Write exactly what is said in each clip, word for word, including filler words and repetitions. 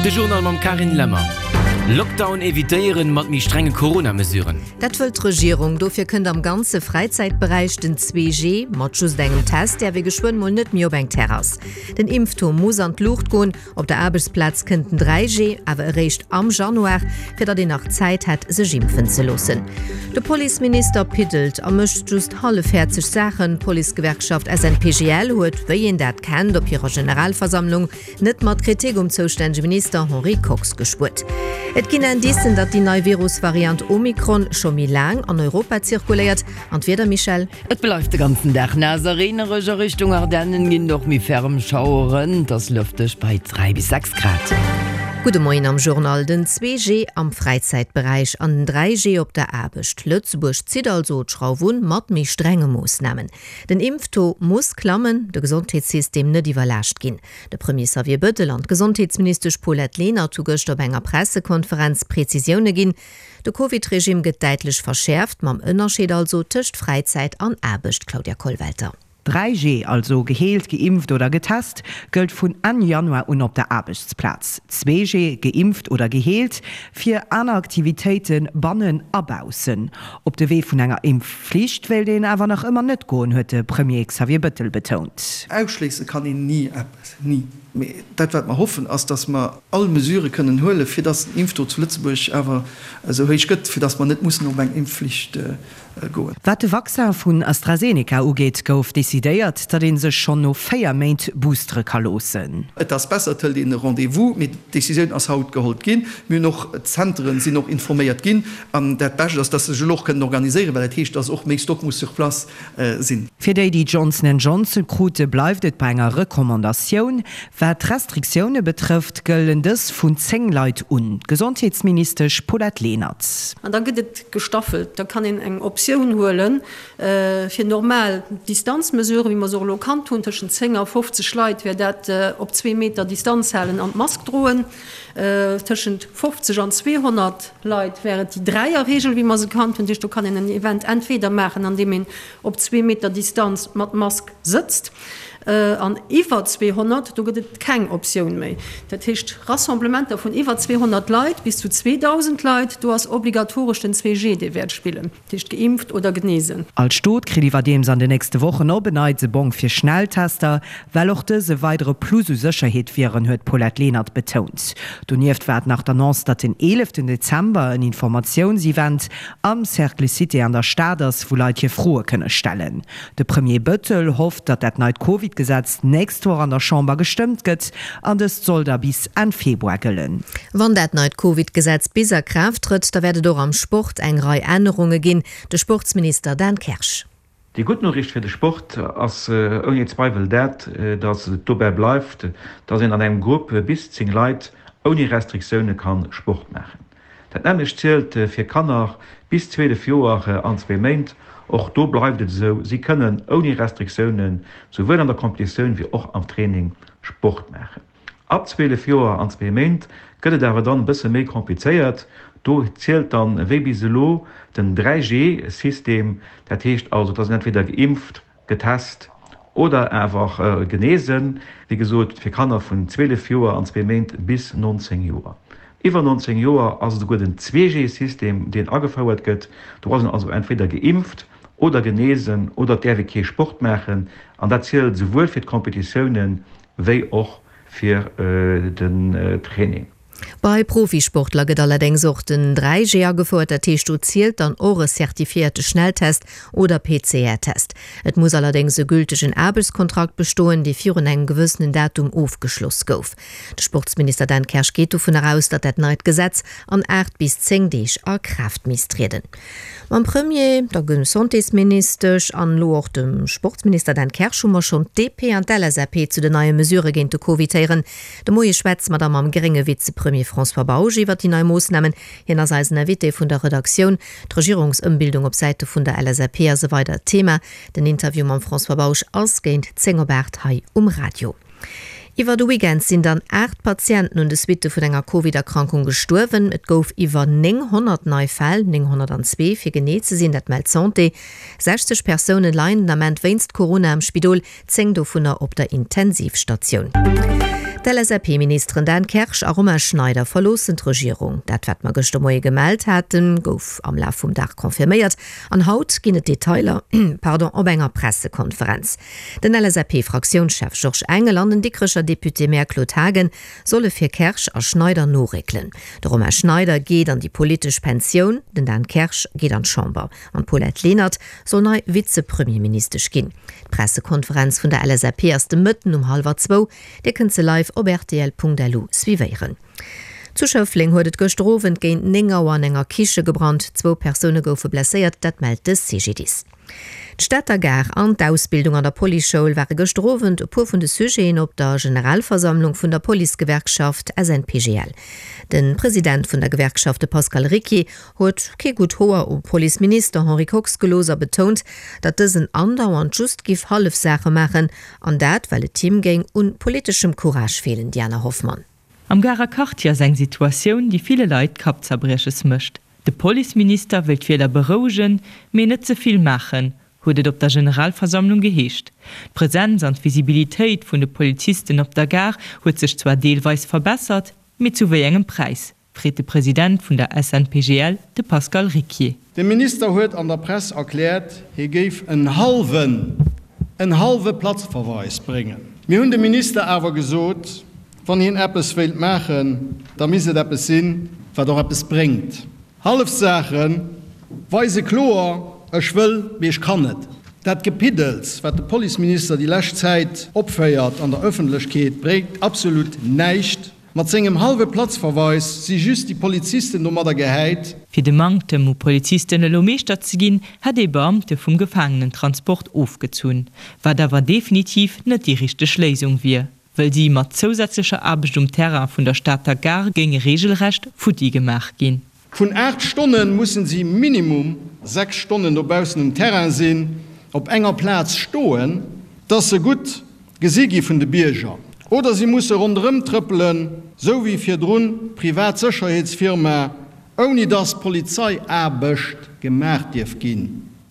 De Journal mam Carine Lemmer. Lockdown evitéieren mat méi strenge Corona-Mesuren. Dat wëllt d'Regierung. Dofir kënnt am ganze Fräizäitberäich den zwee G. Mat just engem Test däerf ee geschwënn mol net méi op eng Terrass. Den Impftaux muss an d'Luucht goen. Op der Aarbechtsplaz kënnt den dräi G awer eréischt am Januar, fir datt een nach Zäit hätt, sech impfen ze loossen. De Policeminister piddelt a mécht just hallefhäerzeg Saachen. D'Policegewerkschaft S N P G L huet, wéi een dat kennt, op hirer Generalversammlung net mat Kritik um zoustännege Minister Henri Kox gespuert. Et ginn Indicen, datt déi nei Virusvariant Omikron scho méi laang an Europa zirkuléiert. An d'Wieder, Michèle? Et bleift de ganzen Dag naass a reenereg. A Richtung Ardennen ginn et och méi ferm Schaueren. Et ass lëfteg bei dräi bis sechs Grad. Gudde Moien am Journal. Den zwee G am Fräizäitberäich an den dräi G op der Aarbecht. Lëtzebuerg zitt also d'Schrauf un mat méi strenge Moossnamen. Den Impftaux muss klammen, de Gesondheetssystem net iwwerlaascht ginn. De Premier Xavier Bëttel an d'Gesondheetsministesch Paulette Lenert hu gëschter op enger Pressekonferenz Prezisioune ginn. De Covid-Regime gëtt däitlech verschäerft, mam Ënnerscheed also tëscht Fräizäit an Aarbecht, Claudia Kollwelter. dräi G, also geheelt, geimpft oder getest, gëllt vun Enn Januar un op der Aarbechtsplaz. Zwee G, geimpft oder geheelt, fir aner Aktivitéite bannen a baussen. Op de Wee vun enger Impfflicht wéilt een awer nach ëmmer net goen, huet de Premier Xavier Bëttel betount. Ausschléisse kann een ni eppes, ni. Mee dat, wat mer hoffen, ass, datt mer all Mesurë kënnen huelen, fir datt den Impftaux zu Lëtzebuerg awer esou héich gëtt, fir datt mer net mussen op eng Impfflicht goen. Wat de Vaccin vun AstraZeneca ugeet, gouf decidéiert, datt ee sech schonn no véier Méint boostere ka loossen. Et ass besser, et hëlt een e Rendez-vous, mee d'Decisioun ass haut geholl ginn. Mir hunn och, d'Zenteren sinn och informéiert ginn. An dat Bescht ass, datt se sech elo och kënnen organiséieren, well dat heescht, datt och méi Stock muss sur place sinn. Fir déi, déi Johnson and Johnson krute, bleift et bei enger Recommandatioun. Wat d'Restriktioune betrëfft, gëllen dës vun zéng Leit un. D'Gesondheetsministesch Paulette Lenert. An da gëtt et gestaffelt. Da kann een eng Optioun huele fir normal Distanzmesuren, wéi mer se och elo kannt hunn, tëschent zéng a fofzeg Leit wär dat op zwee Meter Distanz halen an d'Mask droen. Tëschent fofzeg an zweehonnert Leit wär et déi Dräierreegel, wéi mer se kannt hunn. Dat heescht, do kann een en Event entweder maachen, andeem een op zwee Meter Distanz mat Mask sëtzt. An iwwer zweehonnert, do gëtt et keng Optioun méi. Dat heescht, Rassemblementer vun iwwer zweehonnert Leit bis zu zweedausend Leit, do ass obligatoresch den zwee G, dee wäert spillen, dat heescht geimpft oder genesen. All Stot kritt iwwerdeems an den nächste Wochen op en Neits e Bong fir Schnelltester, well och dës e weidere Plus u Sécherheet wieren, huet d'Paulette Lenert betount. Donieft war et nach d'Annonce, datt den eeleften Dezember en Informatiounsevent am Cercle Cité an der Stad ass, wou Leit hir Froe kënne stellen. De Premier Bëttel hofft, datt dat neit Covid-Gesetz d'nächst Woch an der Chamber gestëmmt gëtt an dëst soll da bis Enn Februar gëllen. Wann dat neit Covid-Gesetz bis a Kraaft trëtt, da wäert et och am Sport eng Rei Ännerunge ginn. De Sportsminister Dan Kersch. Déi gutt Noriicht fir de Sport ass ouni Zweiwel dat, datt et dobäi bleift, datt een an engem Grupp bis zéng Leit ouni Restriktioune ka Sport maachen. Dat nämmlecht zielt fir Kanner bis zwielef Joer an zwee Méint. Och do bleift et esou, si kënnen ouni Restriktioune souwuel an der Competitioun wéi och am Training Sport maachen. Ab zwielef Joer an zwee Méint gëtt et awer dann e bësse méi komplizéiert. Do zielt dann wéi bis elo den dräi G System, dat heescht also, et ass een entweder geimpft, getest oder awer genesen, wéi gesot fir Kanner vun zwielef Joer an zwee Méint bis nonzéng Joer. Iwwer nonzéng Joer ass et esouguer den zwee G System, deen agefouert gëtt. Do ass een also entweder geimpft oder genesen oder et däerf ee kee Sport maachen an dat zielt esouwuel fir d'Competitiounen wéi och fir den Training. Bei Profisportler gëtt allerdéngs och den dräi G agefouert, dat heescht do zielt dann och e certifiéierte Schnelltest oder P C R Test. Et muss allerdéngs e gültegen Aarbechtskontrakt bestoen, dee virun engem gewëssenen Datum ofgeschloss gouf. De Sportsminister Dan Kersch geet dovunner aus, datt dat neit Gesetz an aacht bis zéng Deeg a Kraaft misst trieden. Mam Premier, der Gesondheetsministesch an elo och dem Sportsminister Dan Kersch hu mer schonn d'D P an d'L S A P zu den neie Mesurë géint de Covid héieren. De Moie schwätze mer da mam grénge Vizepremier François Bausch iwwer déi nei Moossnamen. Hien ass eisen Invité vun der Redaktioun. D'Regierungsëmbildung op Säite vun der L S A P ass e weidert Thema. Den Interview mam François Bausch ass géint zéng op aacht hei um Radio. Iwwer de Weekend sinn dann aacht Patienten un de Suitte vun enger Covid-Erkrankung gestuerwen. Et gouf iwwer nénghonnert nei Fäll, nénghonnertanzwee fir genee ze sinn, dat mellt d'Santé. Sechzeg Persoune leien den Ament wéinst Corona am Spidol, zéng dovunner op der Intensivstatioun. D'LSAP-Ministeren Dan Kersch a Romain Schneider verloossen d'Regierung. Dat wat mer gëschter Moie gemellt haten, gouf am Laf vum Dag confirméiert an haut ginn et Detailer, pardon, op enger Pressekonferenz. Den LSAP-Fraktiounschef Georges Engel an den Dikrecher Député-Maire Claude Haagen solle fir Kersch a Schneider noréckelen. De Romain Schneider geet an déi politesch Pensioun, den Dan Kersch geet an d'Chamber an d'Paulette Lenert soll nei Vize-Premierministesch ginn. D'Pressekonferenz vun der LSAP ass de Mëtten um hallwer zwou. Dir kënnt se live op rtl.lu suivéieren. Zu Schëffleng huet et gëschter Owend géint néng Auer an enger Kiche gebrannt. Zwou Persoune goufe blesséiert, dat mellt de CGDIS. D'Stater Gare an d'Ausbildung an der Policeschoul ware gëschter Owend e puer vun de Sujeten op der Generalversammlung vun der Policegewerkschaft SNPGL. De President vun der Gewerkschaft, de Pascal Ricquier, huet kee gutt Hoer um Policeminister Henri Kox gelooss a betount, datt dësen andauernd just giff hallef Saache maachen, an dat well et him géing un politeschem Courage feelen. Diana Hoffmann. Am Garer Quartier ass eng Situatioun, déi ville Leit Kappzerbrieches mécht. De Policeminister wëll d'Wieler berouegen, mee net ze vill maachen, huet et op der Generalversammlung geheescht. D'Presenz an d'Visibilitéit vun de Polizisten op der Gare huet sech zwar deelweis verbessert, mee zu wéi engem Präis? freet de President vun der SNPGL, de Pascal Ricquier. De Minister huet an der Press erkläert, hie géif en hallwen, en hallwe Platzverweis bréngen. Mir hunn dem Minister awer gesot, wann hien eppes wéilt maachen, da misst et eppes sinn, wat och eppes bréngt. Hallef Saache weise kloer, Ech wëll, mee ech kann net. Dat Gepiddels, wat de Policeminister déi lescht Zäit opféiert an der Ëffentlechkeet, bréngt absolut näischt. Mat sengem hallwe Platzverweis si just déi Polizisten domadder gehäit. Fir de Manktem u Polizisten elo Meeschter ze ginn, hätt ee Beamte vum Gefaangenentransport ofgezunn, wat awer definitiv net déi richteg Léisung wier, wëll si mat zousätzlecher Aarbecht um Terrain vun der Stater Gare géinge reegelrecht futti gemaach ginn. Vun aacht Stonne mussen si minimum sechs Stonnen dobaussen um Terrain sinn, op enger Plaz stoen, dass se gutt gesi gi vun de Bierger. Oder si musse ronderëm trëppelen, sou wéi virdrun d'privat Sécherheetsfirma, ouni dass Polizeiaarbecht gemaach dierf ginn.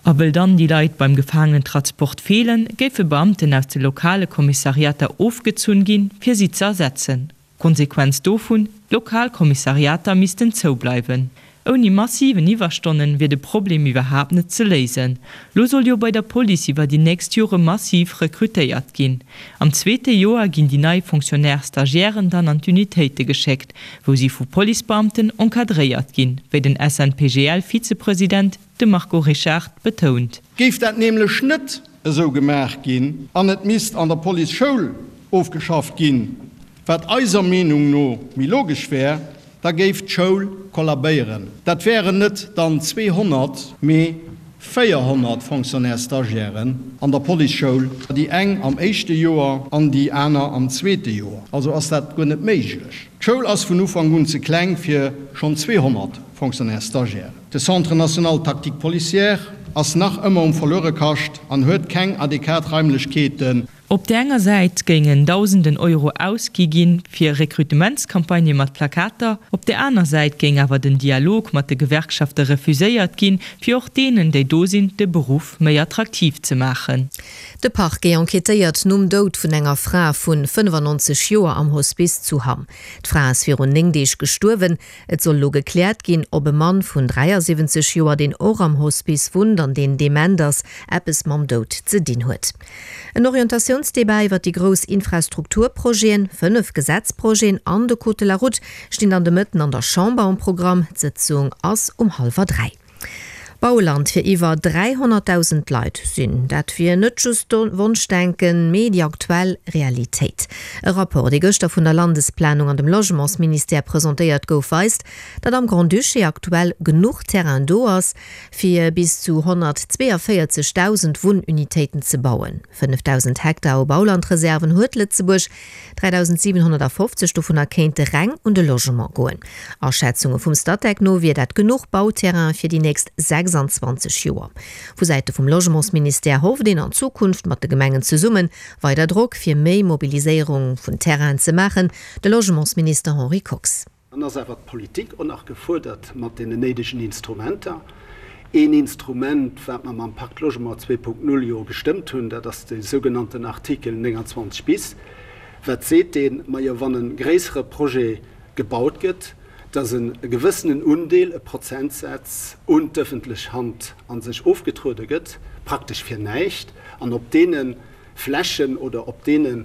A wëll dann déi Leit beim Gefaangenentratsport feelen, géife Beamten aus de lokale Kommissariater ofgezunn ginn, fir si ze ersetzen. Konsequenz dovun, D'lokal Kommissariater missten zoubleiwen. Ouni massiven Iwwerstonnen wier de Problem iwwerhaapt net ze léisen. Lo soll jo bei der Police iwwer déi nächst Jore massiv rekrutéiert ginn. Am zweete Joer ginn déi nei Fonctionnaires-Stagiairen dann an d'Unitéite geschéckt, wou si vu Policebeamten encadréiert ginn, wéi den SNPGL-Vizepresident, de Marco Richard, betount. Géif dat nämlech net esou gemaach ginn an et misst an der Policeschoul ofgeschafft ginn, wat eiser Meenung no méi logesch wär, da géif d'Schoul kollabéieren. Dat wären net dann zweehonnert, mee véierhonnert Fonctionnaires-stagiairen an der Policeschoul, déi eng am éischte Joer an déi aner am zweete Joer. Also ass dat guer net méiglech. D'Schoul ass vun Ufank un ze kleng fir schonn zweehonnert Fonctionnaires-stagiairen. De Centre national tactique policière ass nach ëmmer um Verluerekascht an huet keng adequat Raimlechkeeten. Op där enger Säit géingen Dausenden Euro ausgi ginn, fir Rekrutementscampagnë mat Plakater, op där aner Säit géing awer den Dialog mat de Gewerkschafte refuséiert ginn, fir och deenen, déi do sinn, de Beruff méi attraktiv ze maachen. De Parquet enquêtéiert nom Doud vun enger Fra vu fënnefannonzeg Joer am Hospice zu Hamm. D'Fra ass virun néng Deeg gestuerwen. Et soll elo gekläert ginn, ob e Mann vun dräiasiwwenzeg Joer, deen och am Hospice wunnt an deen dement ass, eppes mam Doud ze dinn huet. En Orientatiounsdebat iwwer déi grouss Infrastrukturprojeten, fënnef Gesetzprojeten an de Code de la route stinn dann de Mëtten an der Chamber um Programm. D'Sëtzung ass um hallwer dräi. Bauland fir iwwer dräihonnertdausend Leit sinn. Dat wier net just Wonschdenken, mee déi aktuell Realitéit. E Rapport, dee gëschter vun der Landesplanung an dem Logementsministère presentéiert gouf, weist, datt am Grand-Duché aktuell genuch Terrain do ass, fir bis zu honnertzweeënvéierzegdausend Wunnunitéiten ze bauen. Fënnefdausend Hektar u Baulandreserven huet Lëtzebuerg, dräidausendsiwenhonnertafofzeg dovunner kéinte reng un de Logement goen. Aschätzunge vum Statec no wier dat genuch Bauterrain fir déi nächst sechsanzwanzeg Joer. Vu Säite vum Logementsministère hofft een an Zukunft mat de Gemengen zesummen weider Drock fir méi Mobiliséierung vun Terrainen ze maachen, de Logementsminister Henri Kox. Dann ass awer d'Politik och nach gefuerdert mat deenen néidegen Instrumenter. Een Instrument, wat mer mam Pacte Logement zwee Punkt null jo gestëmmt hunn, dat ass de sougenannten Artikel nénganzwanzeg bis, Wat seet deen? Majo, wann e gréissere Projet gebaut gëtt, dass e gewëssenen Undeel, e Prozentsaz un d'ëffentlech Hand a sech ofgetruede gëtt, praktesch fir näischt, an op deene Flächen oder op deene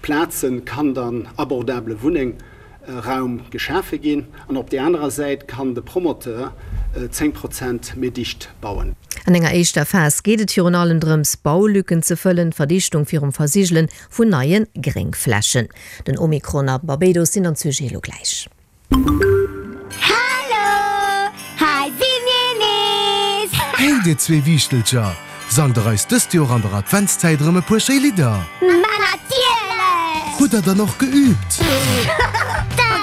Plaze kann dann abordabele Wunnéngraum geschafe ginn an op där anerer Säit kann de Promoteur zéng Prozent méi dicht bauen. An enger éischter Phas geet et virun allem drëms, Baulücken ze fëllen, d'Verdichtung virum Versigele vun neie Gréngflächen. Den Omikron a Barbados sinn dann d'Sujete elo gläich. Hallo, hei si mir nees! Hey dir zwee Wiichtelcher, sangt der eis dëst Joer an der Adventszäit erëm e puer schéi Lidder? Ma natierlech! Hutt der dann och geüübt?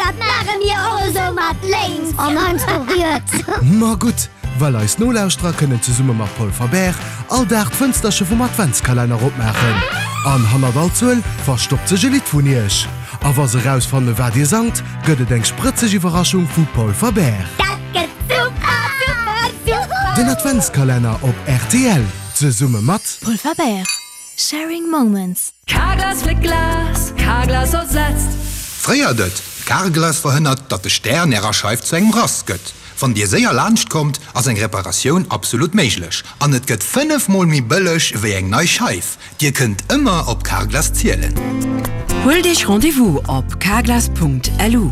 Dat maache mir och esou mat lénks an heiansdo riets. Ma gutt, well eis Nolauschterer kënnen zesumme mat Polfer Bär all Dag d'Fënsterche vum Adventskalenner opmaachen. An hannert all Zuel verstoppt sech e Lidd vun iech. A wa se erausfanne wat dir sangt, gëtt et eng sprëtzeg Iwwerraschung vu Polfer Bär. Dat gëtt super, super, super! Den Adventskalenner op rtl zesumme mat. Polfer Bär, sharing moments. Carglass fléckt Glas, Carglass ersetzt. Fréiert et, Carglass verhënnert, datt de Stär an Ärer Scheif zu engem Rass gëtt. Wann Dir séier laanscht kommt, ass eng Reparatioun absolut méiglech. An et gëtt fënnef mol méi bëlleg wéi eng nei Scheif. Dir kënnt ëmmer op Carglass zielen. Huelt Iech Rendez-vous op carglass.lu.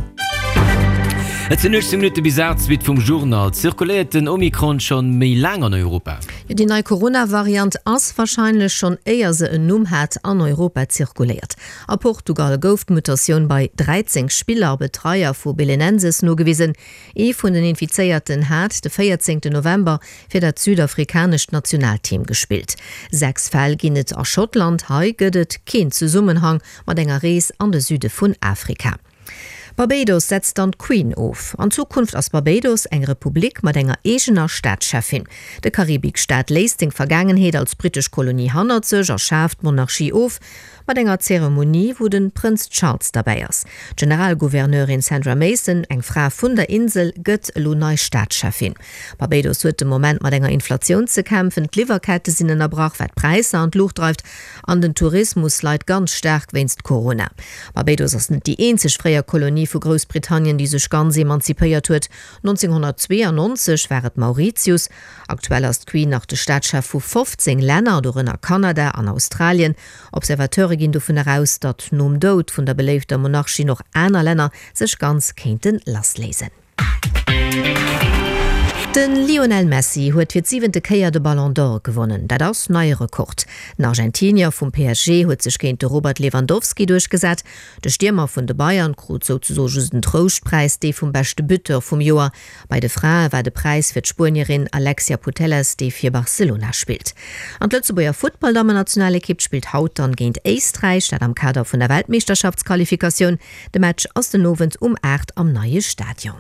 Et sinn uechtzéng Minutte bis aacht, d'Suite vum Journal. Zirkuléiert den Omikron schonn méi laang an Europa? Jo, déi nei Corona-Variant ass warscheinlech schonn éier se en Numm hat an Europa zirkuléiert. A Portugal gouf d'Mutatioun bei dräizéng Spiller a Betreier vu Belenenses nogewisen. Ee vun den Infizéierten hat de véierzéngten November fir dat südafrikanescht Nationalteam gespillt. Sechs Fäll ginn et a Schottland, hei gëtt et keen Zesummenhang mat enger Rees an de Süde vun Afrika. Barbados setzt dann d'Queen of. An Zukunft ass Barbados eng Republik mat enger eegener Staatscheffin. De Karibikstaat léisst seng Vergaangenheet als brittesch Kolonie hannert sech a schaaft d'Monarchie of, mat enger Zeremonie, wou de Prënz Charles derbäi ass. D'Generalgouverneurin Sandra Mason, eng Fra vun der Insel, gëtt elo nei Staatscheffin. Barbados huet de Moment mat enger Inflatioun ze kämpfen, d'Liwwerkette sinn ënnerbrach, wat d'Präisser an d'Luucht dreift, an den Tourismus leit ganz staark wéinst Corona. Barbados ass net déi eenzeg fréier Kolonie vu Groussbritannien, déi sech ganz emanzipéiert huet. nonzénghonnertzweeanonzeg war et Mauritius. Aktuell ass d'Queen nach de Staatschef vu fofzéng Länner, dorënner Kanada an Australien. Observateure ginn dovunner aus, datt nom Doud vun der beléifter Monarchin och aner Länner sech ganz kéinte lassléisen. De Lionel Messi huet fir d'siwente Kéier de Ballon d'Or gewonnen. Dat ass neie Rekord. Den Argentinier vum P S G huet sech géint de Robert Lewandowski duerchgesat. De Stiermer vun de Bayern krut souzesoe just en Trouschtpräis, dee vum beschte Buteur vum Joer. Bei de Frae war de Präis fir d'Spuenierin Alexia Putellas, déi fir Barcelona spillt. An d'Lëtzebuerger Futtballdammennationalekipp spillt haut dann géint Éisträich, dat am Kader vun der Weltmeeschterschaftsqualifikatioun. De Match ass den Owend um aacht am neie Stadion.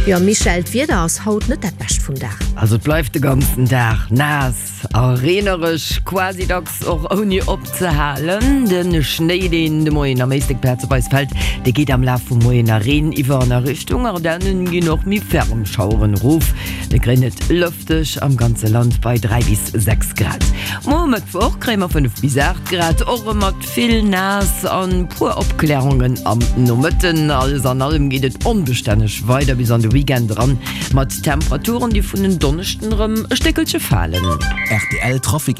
Jo Michèle, d'Wieder ass haut net dat bescht vum Dag. Also et bleift de ganzen Dag naass a reenereg, quasi dacks och ouni opzehalen. De Schnéi, deen de Moien am Éislek plazeweis fält, dee geet am Laf vum Moien a Reen iwwer an a Richtung Ardennen ginn och méi ferm Schaueren erof. Mir kréien et lëfteg am ganze Land bei dräi bis sechs Grad. Muer Mëttwoch kréie mer fënnef bis aacht Grad, och erëm mat vill naass an puer Opklärungen am Nomëtten. Alles an allem geet et onbestänneg weider bis an de Weekend eran, mat Temperaturen, déi vun en Donneschden erëm e Stéckelche falen. Rtl Trafic.